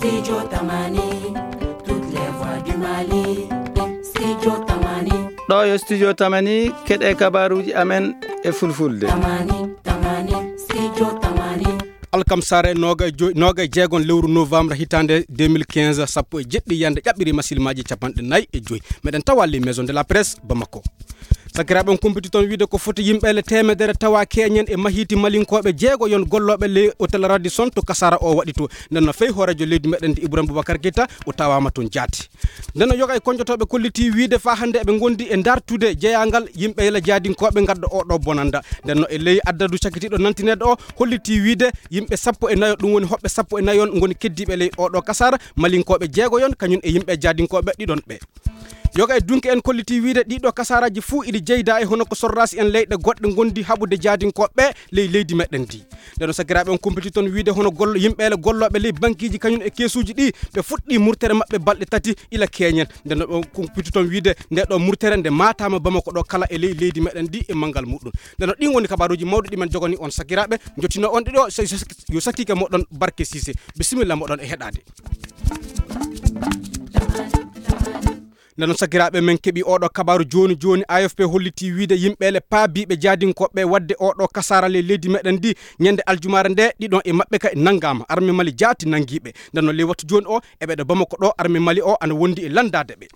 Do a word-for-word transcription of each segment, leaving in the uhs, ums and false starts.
Studio Tamani, toutes les voix du Mali. Studio Tamani. Ɗo yo Studio Tamani, keɗe kabaruuji amen e fulfulde. Tamani, Tamani, Studio Tamani. Alkamsare nogay joy-, nogay jeegon lewru novembre hitaande deux mille quinze, sappo e jeɗɗi yande ƴaɓɓiri masilmaaji capanɗe nayi e joy. Meɗen tawa les maisons de la presse Bamako. Sakiraaɓe, on kumpiti toon wiide ko foti yimɓeele teemedere tawa keñen e mahiiti malinkooɓe jeego yon gollooɓe ley hôtel Radisson to Kasara o waɗi to. Nden no fey hooreejo leydi meɗen ndi Ibrahima Boubacar Keita o tawaama toon jaati. Nden no yoga e konjotooɓe kolliti wiide faa hannde eɓe ngondi e dartude jeyaangal yimɓeele jaadinkooɓe ngadda oɗo bonanda. Nden no e ley addadu cakitiiɗo nantineeɗo o holliti wiide yimɓe sappo e nayo, ɗum woni hoɓɓe sappo e nayo on ngoni keddiiɓe ley oɗo Kasara, malinkooɓe jeego yon kañum e yimɓe jaadinkooɓe ɗiɗon ɓe. Yoga e dunke en kolliti wiide ɗiɗo kasaraji fuu iɗi jeyda e hono ko sorrasi en leyɗe goɗɗe gondi haɓude jaadinkooɓe ley leydi meɗen ndi. Nden no sakiraaɓe on kumpiti toon wiide hono gollo-, yimɓeele gollooɓe ley bankiiji kañum e keesuuji ɗi, ɓe fuɗɗi murtere maɓɓe balɗe tati ila keñen. Nden no ɗo kumpiti toon wiide nde ɗo murtere nde maataama Bamako ɗo kala e ley leydi meɗen ndi e manngal muɗum. Nden no ɗin woni kabaruuji mawɗi ɗi men jogani on sakiraaɓe. Jottino on ɗiɗo, so, so, yo sakiike moɗon Barke Sise. Bisimilla moɗon e heɗaade. Nden no sakiraaɓe men keɓi oɗo kabaru jooni jooni, A F P holliti wiide yimɓeele paabiiɓe jaadinkooɓe waɗde oɗo kasara ley leydi meɗen ndi ñande aljumaare nde, ɗiɗon e maɓɓe kay nanngaama. Arme Mali jaati nanngiiɓe. Nden no ley wattu jooni o, eɓe ɗo Bamako ɗo, arme Mali o ana wondi e lanndaade ɓe.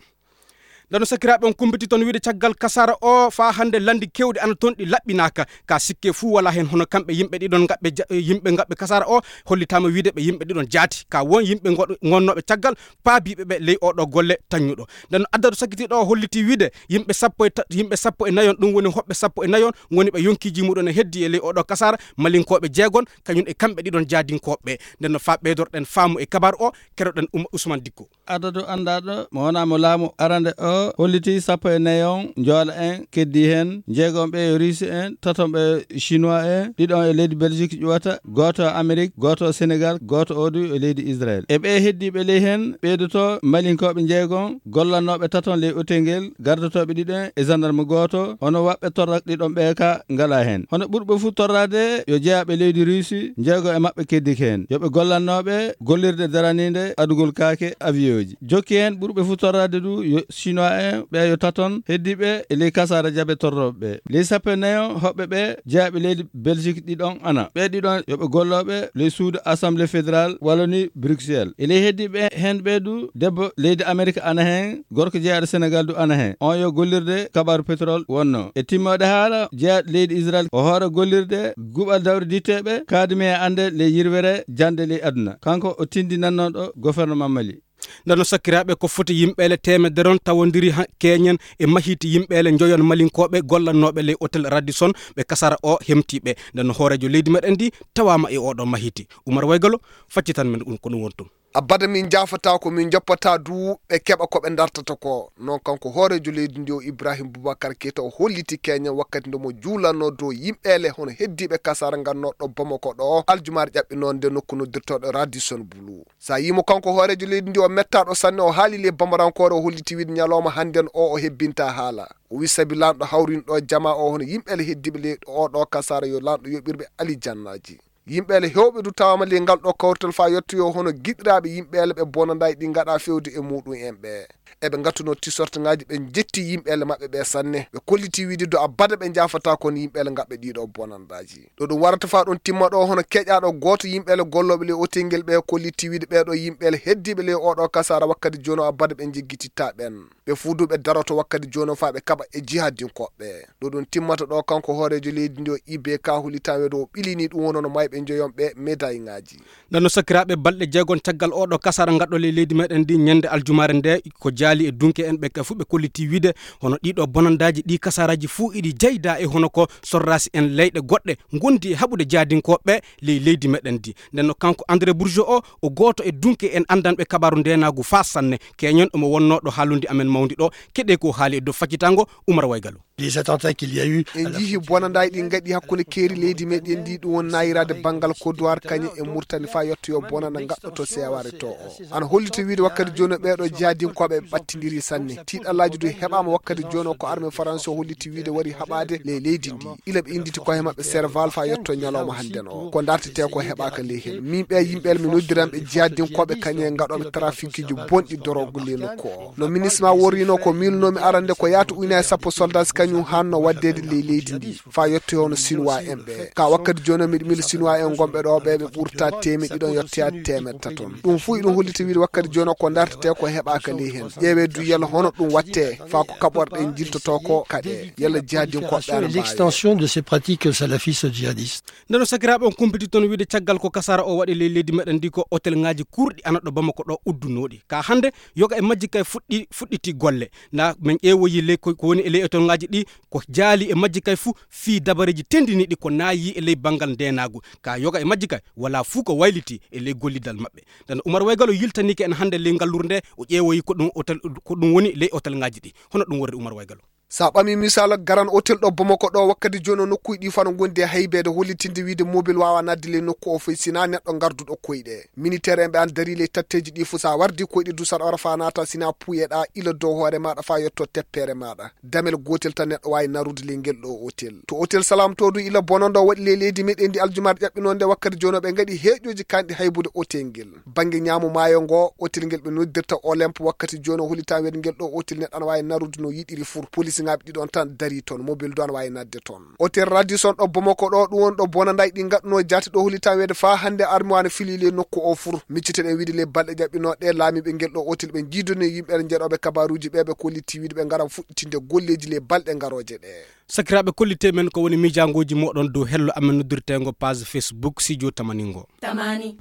Nden no sakiraaɓe on kumpiti toon wiide caggal kasara o faa hannde lanndi keewɗi ana toon ɗi laɓɓinaaka. Ka sikke fuu walaa heen hono kamɓe yimɓe ɗiɗon ngaɓɓe ja-, yimɓe ngaɓɓe kasara o hollitaama wiide ɓe yimɓe ɗiɗon jaati. Ka won yimɓe ngoɗ-, ngonnooɓe caggal paabiiɓe ɓe ley oɗo golle taññuɗo. Nden no addadu sakkitiiɗo o holliti wiide yimɓe sappo e ta-, yimɓe sappo e nayon, ɗum woni hoɓɓe sappo e nayon, ngoni ɓe yonkiiji muɗum e heddi e ley oɗo kasara, malinkooɓe jeegon, kañum e kamɓe ɗiɗon jaadinkooɓe ɓe. Nden no faa ɓeydorɗen faamu e kabaru o, keɗoɗen Oum-, Ousmane Dicko. Adadu anndaaɗo mo wonaa mo laamu arande o holliti sappo e nayon njoola en, keddi heen njeegon ɓe yo Russe en, taton ɓe Chinois en, ɗiɗon e leydi Belgique ƴuwata, gooto Amérique, gooto Sénégal, gooto o du e leydi Israël. E ɓe heddiiɓe ley heen ɓeydoto malinkooɓe njeegon gollannooɓe taton ley otel ngel, gardotooɓe ɗiɗon e gendarme gooto, hono waɓɓe torra ɗiɗon ɓe ka ngalaa heen. Hono ɓurɓe fuu torraade yo jeyaaɓe leydi Russe, njeego e maɓɓe keddike heen. Yo ɓe gollannooɓe gollirde daraniinde adugol kaake avion ji. Jokki heen ɓurɓe fuu torraade du yo Chinois en, ɓe yo taton heddiiɓe e ley kasaara jaɓe torrooɓe ɓe. Ley sappo e nayon hoɓɓe ɓe jeyaaɓe leydi Belgique ɗiɗon ana. Ɓe ɗiɗon yo ɓe gollooɓe ley suudu Assemblée fédérale Wallonie Bruxelles. E ley heddiiɓe heen ɓe du debbo leydi Amérique ana heen, gorko jeyaaɗo Sénégal du ana heen. On yo gollirde kabaaru pétrole wonno. E timmoode haala, jeyaaɗo leydi Israël o hoore gollirde guɓal dawriditteeɓe, kaadumi e annde ley yirwere jannde ley aduna. Kanko o tindinannooɗo gouvernement Mali. Nden no sakkiraaɓe ko foti yimɓeele teemedere on tawondiri ha-, keñen e mahiti yimɓeele njoyon malinkooɓe gollannooɓe ley hôtel Radisson ɓe kasara o hemti ɓe. Nden no hooreejo leydi meɗen ndi tawaama e oɗo mahiti. Oumar Waygalo, faccitan men ɗum ko ɗum woni toon. Abada min njaafataa ko min njoppataa du ɓe keɓa ko ɓe ndartata ko. Noon kanko hooreejo leydi ndi o Ibrahim Boubacar Keita o holliti keñen wakkati nde mo juulanoo dow yimɓeele hono heddiiɓe kasara ngannooɗo Bamako ɗo aljumaare ƴaɓɓinoonde nokku noddirtooɗo Radisson Blu. So a yii mo kanko hooreejo leydi ndi o mettaaɗo sanne o haali ley bamarankoore o holliti wiide ñalawma hannden o o hebbinta haala. O wi sabi laamɗo hawrinɗo jamaa o hono yimɓeele heddiiɓe ley oɗo kasara yo laamɗo yoɓirɓe alijannaaji. Yimɓeele heewɓe du tawaama ley ngal ɗo kawrital faa yettoyoo hono giɗiraaɓe yimɓeele ɓe bonandaaji ɗi ngaɗa fewde e muɗum en ɓe. Eɓe ngattunoo tisortengaaji ɓe njetti yimɓeele maɓɓe ɓe sanne. Ɓe kolliti wiide do abada ɓe njaafataa kon yimɓeele ngaɓɓe ɗiɗo bonandaaji. Ɗo ɗum warata faa ɗum timma ɗo hono keƴaaɗo gooto yimɓeele gollooɓe ley otel ngel ɓe kolliti wiide ɓeeɗo yimɓeele heddiiɓe ley oɗo kasaara wakkati jooni o abada ɓe njeggitittaa ɓen. Ɓe fuu du ɓe daroto wakkati jooni o faa ɓe kaɓa e jihadinkooɓe. Ɗo ɗum timmata ɗo kanko hooreejo leydi ndi o I B K hollitaa wiide o ɓilini ɗum wono no mayɓe njoyon ɓe médaille ŋaaji. Nden no sakkiraaɓe balɗe jeegon caggal oɗo kasara ngaɗɗo ley leydi meɗen ndi ñande aljumaare nde ko jaali e dunke en ɓe ka fuu ɓe kolliti wiide hono ɗiɗo bonandaaji ɗi kasaraji fuu iɗi jeyda e hono ko sorrasi en leyɗe goɗɗe ngondi e haɓude jaadinkooɓe ley leydi meɗen ndi. Nden no kanko André Bourgeot o, o gooto e dunke en anndanɓe kabaru ndenaagu faa sanne. Keñen omo wonnoo ɗo haalundi amen mawndi ɗo. Keɗe ko haali e dow faccitango Oumar Waygalo. Les attentats qu'il y a eu. En njihii bonandaaji ɗi ngaɗi hakkunde keeri leydi meɗen ndi, ɗum woni naayiraade banngal Kodowar kañum e Murtani faa yettoyoo bonanda ngaɗɗoto seewaare to o. Ana holliti wiide wakkati jooni o ɓeeɗo jihadinkooɓe ɓe ɓattindiri sanne. Tiiɗallaaji du heɓaama wakkati jooni o ko armée Faransi o holliti wiide wari haɓaade ley leydi ndi. Ila ɓe innditi koye maɓɓe Serval faa yetto ñalawma hannden o. Ko dartetee ko heɓaaka ley heen. Min ɓe yimɓe mi noddiran ɓe jihadinkooɓe kañum e ngaɗooɓe trafiqueji bonɗi dorogu ley nokku o. No ministre ma worrino ko miilnoomi arande ko yaata ujunaaji sappo soldats kañum hanno waddeede ley leydi ndi. Faa yettoyoo no Sinwaa en ɓe. Ka wakkati jooni o miɗo miila Sinwaa en gonɓe ɗo ɓe ɓe ɓurta teemeɗɗe ɗiɗi yettoyaade teemeɗɗe tati on. Ɗum fuu iɗum holliti wiide wakkati jooni o ko dartetee ko heɓaaka ley heen. Ƴeewee du yalla hono ɗum watte faa ko kaɓorɗe en njiltotoo ko kaɗe. Yalla jihadinkooɓe ana mbaawi. L'extension de ces pratiques salafistes djihadistes. Nden o sakiraaɓe on kumpiti toon wiide caggal ko kasaara o waɗi ley leydi meɗen ndi ko hôtel ŋaaji kuurɗi ana ɗo Bamako ɗo uddunooɗi. Ka hannde yoga e majji kay fuɗɗi, fuɗɗiti golle. Nda men ƴeewoyi ley ko, ko woni e ley hôtel ŋaaji ɗi ko jaali e majji kay fuu fii dabareeji tendiniiɗi ko naayi e ley banngal ndeenaagu. Ka yoga e majji kay wala fuu ko wayliti e ley gollidal maɓɓe. Nden Umar Waygalo yiltaniike en hannde ley ngalluru nde o ƴeewoyi ko ɗum hôtel, ko ɗum woni ley hôtel ŋaaji ɗi. Hono ɗum worri Umar Waygalo. Sa ɓami misal garan hôtel ɗo Bamako ɗo wakkati jooni o nokkuuji ɗi fano gondi e haybeede hollitinde wiide mobil waawa nadde ley nokku o foy sina neɗɗo garduɗo koyɗe. Militaire en ɓe an dari ley tatteeji ɗi fuu sa wardi koyɗe du saɗa wara fa naata sina puyeɗa ila dow hoore maɗa fa yetto teppere maɗa. Damel gootel tan neɗɗo waawi narude ley ngel ɗo hôtel. To hôtel Salam to du ila bonondo waɗi ley leydi meɗen ndi aljumar ƴaɓɓinonde wakkati jooni o ɓe ngaɗi heeƴoji kanɗi haybude hôtel ngel. Bannge ñaamo maayo ngo, otel ngel ɓe noddirta Olympe wakkati jooni o hollitaa wiyde ngel ɗo otel neɗɗo ana waawi narude no yiɗiri fur. Polisigaaɓe ɗiɗon tan darii toon, mobil du ana waawi nadde toon. Otel Radisson ɗo Bamako ɗo, ɗum woni ɗo bonandaaji ɗi ngaɗunoo jaati ɗo hollitaa wiyde faa hannde armi waano filii ley nokku o fur. Miccitoɗen wiyde ley balɗe ƴaɓɓinooɗe ɗe laamiiɓe ngel ɗo otel ɓe njiidonii yimɓe njeɗooɓe kabaaruuji ɓe ɓe kollitii wiyde ɓe ngaran fuɗɗitinde golleeji ley balɗe ngarooje ɗe. Sakiraaɓe, kollitee men ko woni miijaangooji mooɗon dow hello amen noddirteengo page Facebook Studio Tamani ngo. Tamani.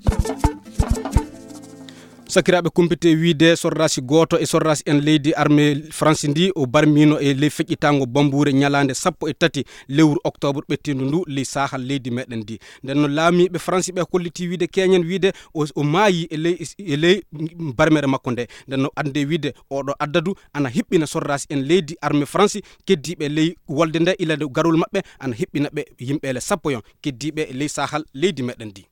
Sakiraaɓe, kumpitee wiide sordaasi gooto e sordaasi en leydi armée France ndi o barmiino e ley feƴƴitaango bambuure ñalaande sappo e tati lewru octobre ɓettiindu ndu ley saahal leydi meɗen ndi. Nden no laamiiɓe France ɓe kollitii wiide keñen wiide o, o maayi e ley, e ley barmere makko nde. Nden no anndee wiide oɗo addadu ana hiɓɓina sordaasi en leydi armée France keddiiɓe ley wolde nde ila nde garol maɓɓe ana hiɓɓina ɓe yimɓeele sappo yon keddiiɓe ley saahal leydi meɗen ndi.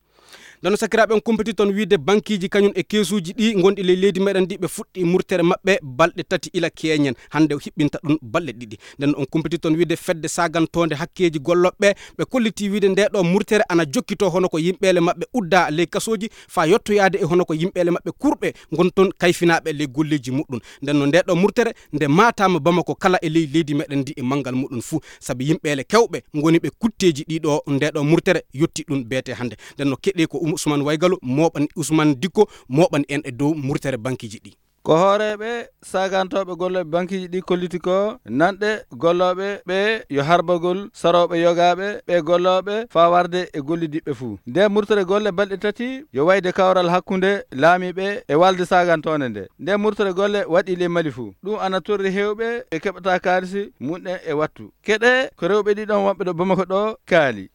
Nden no sakiraaɓe en kumpiti toon wiide bankiiji kañum e keesuuji ɗi ngonɗi ley leydi meɗen ndi ɓe fuɗɗi murtere maɓɓe balɗe tati ila keeñen hannde hiɓɓinta ɗum balɗe ɗiɗi. Nden no on kumpiti toon wiide fedde sagantoonde hakkeeji gollooɓe ɓe kollitii wiide nde ɗo murtere ana jokkitoo hono ko yimɓeele maɓɓe uddaa ley kasooji faa yettoyaade e hono ko yimɓeele maɓɓe kurɓe ngon toon kayfinaaɓe ley golleeji muɗɗum. Nden no nde ɗo murtere nde maataama Bamako kala e ley leydi meɗen ndi e manngal muɗum fuu. Sabi yimɓeele kewɓe ngoni ɓe kutteeji ɗi ɗo nde ɗo murtere yetti ɗum beete hannde. Nden no keɗee ko Um-, Ousmane Waygalo mooɓani, Ousmane Dikko mooɓani en e dow murtere bankiiji ɗi. Ko hooreeɓe sagantooɓe gollooɓe bankiiji ɗi kolliti ko nanɗe gollooɓe ɓe yo harbagol sarooɓe yogaaɓe ɓe gollooɓe faa warde e gollidiɓɓe fuu. Nde murtere golle balɗe tati yo wayde kawral hakkunde laamiiɓe e walde sagantoonde nde. Nde murtere golle waɗi ley Mali fuu. Ɗum ana torri heewɓe ɓe keɓata kaalisi muɗɗen e wattu. Keɗee ko rewɓe ɗiɗon wonɓe ɗo Bamako ɗo kaali.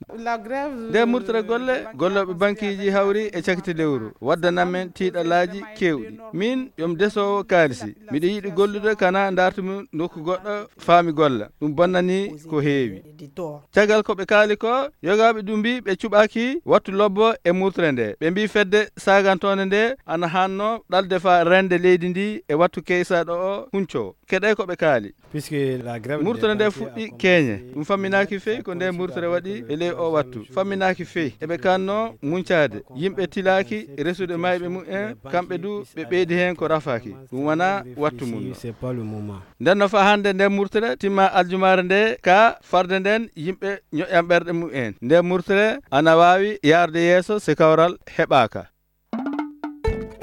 Nde murtere golle, gollooɓe bankiiji hawri e cakiti lewru, waddanan men tiiɗalaaji keewɗi. Min, yo mi desoowo kaalisi. Miɗo yiɗi gollude kana ndartumi nokku goɗɗo faa mi golla. Ɗum bonnanii ko heewi. Caggal ko ɓe kaali ko, yogaaɓe ɗum mbii ɓe cuɓaaki wattu lobbo e murtere nde. Ɓe mbii fedde sagantoonde nde ana haanno ɗalde faa rende leydi ndi e wattu keysaaɗo o huncoo. Keɗee ko ɓe kaali. Murtere nde fuɗɗi keeñe. Ɗum famminaaki fey ko nde murtere waɗi e ley o wattu. Famminaaki fey. Eɓe kanno muncaade. Yimɓe tilaaki resude mayɓe mumen, kamɓe du ɓe ɓeydi heen ko rafaaki. Ɗum wonaa wattu mum. Nden no faa hannde nde murtere timma aljumaare nde ka farde nden yimɓe ñoƴƴan ɓerɗe mumen. Nde murtere ana waawi yaarde yeeso si kawral heɓaaka.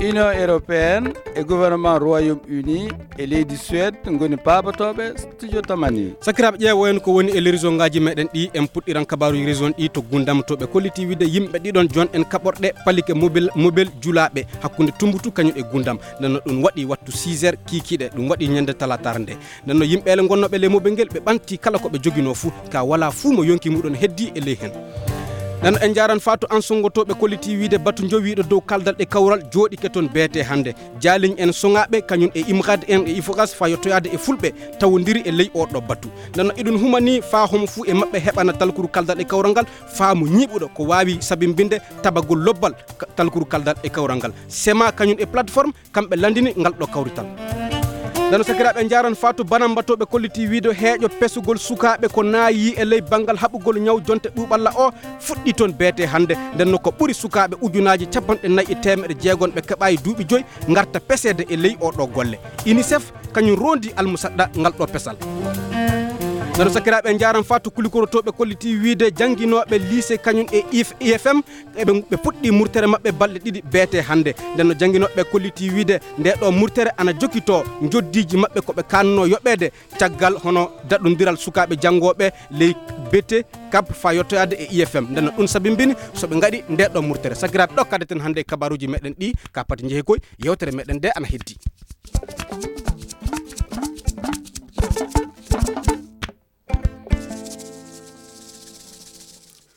Union européenne e gouvernement Royaume-Uni e leydi Suède ngoni paabotooɓe studio Tamani. Sakiraaɓe, ƴeewoyen ko woni e ley région ngaaji meɗen ɗi, en puɗɗiran kabaaruuji région ɗi to Gundam to ɓe kolliti wiide yimɓe ɗiɗon jonɗen kaɓorɗe palike mobile, mobile julaaɓe hakkunde Tumbutu kañum e Gundam. Nden no ɗum waɗi wattu six heures kiikiiɗe, ɗum waɗi ñande talaataare nde. Nden no yimɓeele gonnooɓe ley mobile ngel ɓe ɓanti kala ko ɓe joginoo fuu, ka walaa fuu mo yonki muɗum heddi e ley heen. Nano en njaran fatu an songotooɓe kolliti wiide batu jowiiɗo dow kaldal e kawral jooɗike toon beete hannde. Jaaliñ en soŋaaɓe kañum e imgad en e ifogas faa yottoyaade e fulɓe tawondiri e ley oo ɗoo batu. Nano iɗum humanii faa homo fuu e maɓɓe heɓana talkuru kaldal e kawral ngal faamu ñiiɓuɗo ko waawi sabimbinde tabagol lobbal ka-, talkuru kaldal e kawral ngal. Sema kañum e plateforme kamɓe lanndini ngal ɗo kawrital. Nano sakiraaɓe njaran fatu banambatooɓe kolliti wiide heeƴo pesugol sukaaɓe ko naayi e ley banngal haɓugol ñaw jonte ɓuuɓalla o fuɗɗi toon beete hannde. Nden no ko ɓuri sukaaɓe ujunaaji capanɗe nayi e teemeɗe jeegom ɓe keɓaayi duuɓi joyi ngarta peseede e ley oo ɗoo golle. UNICEF kañum rondi almusaɗɗa ngal ɗo pesal. Nano sakiraaɓe njaran fatu kulikorotooɓe kolliti wiide jannginooɓe lycée kañum e I F M ɓe, ɓe puɗɗi murtere maɓɓe balɗe ɗiɗi beete hannde. Nden no jannginooɓe kolliti wiide nde ɗo murtere ana jokitoo njoddiiji maɓɓe ko ɓe kaanno yoɓeede caggal hono daɗondiral sukaaɓe janngooɓe ley bete kab faa yottoyaade e I F M. Nden no ɗum sabimbini so ɓe ngaɗi nde ɗo murtere. Sakiraaɓe ɗo kaddeten hannde e kabaruuji meɗen ɗi ka pati njehi koy yewtere meɗen nde ana heddi.